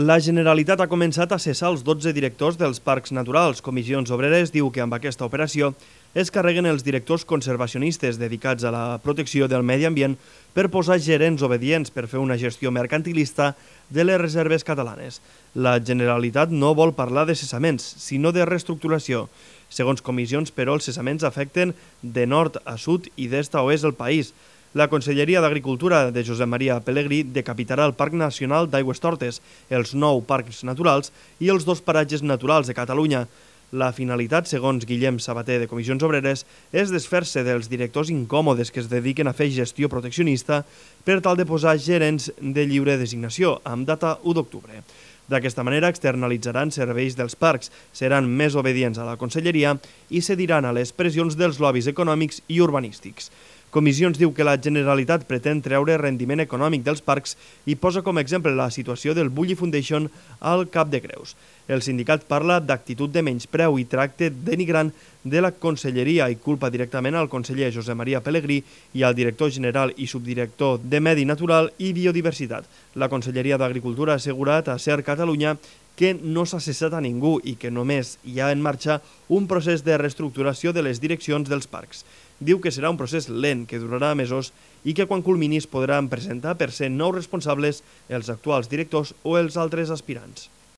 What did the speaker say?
La Generalitat ha començat a cessar els 12 directors dels parcs naturals. Comissions Obreres diu que amb aquesta operació es carreguen els directors conservacionistes dedicats a la protecció del medi ambient per posar gerents obedients per fer una gestió mercantilista de les reserves catalanes. La Generalitat no vol parlar de cessaments, sinó de reestructuració. Segons comissions, però, els cessaments afecten de nord a sud i d'est a oest el país. La Conselleria d'Agricultura de Josep Maria Pelegrí decapitarà el Parc Nacional d'Aigüestortes, els 9 parcs naturals i els 2 paratges naturals de Catalunya. La finalitat, segons Guillem Sabater de Comissions Obreres, és desfer-se dels directors incòmodes que es dediquen a fer gestió proteccionista per tal de posar gerents de lliure designació, amb data 1 d'octubre. D'aquesta manera externalitzaran serveis dels parcs, seran més obedients a la Conselleria i cediran a les pressions dels lobbies econòmics i urbanístics. Comissions diu que la Generalitat pretén treure rendiment econòmic dels parcs i posa com a exemple la situació del Bulli Foundation al Cap de Creus. El sindicat parla d'actitud de menyspreu i tracte denigrant de la Conselleria i culpa directament al conseller Josep Maria Pelegrí i al director general i subdirector de Medi Natural i Biodiversitat. La Conselleria d'Agricultura ha assegurat a SER Catalunya que no s'ha cessat a ningú i que només hi ha en marxa un procés de reestructuració de les direccions dels parcs. Diu que serà un procés lent, que durarà mesos i que quan culmini es podran presentar per ser nous responsables els actuals directors o els altres aspirants.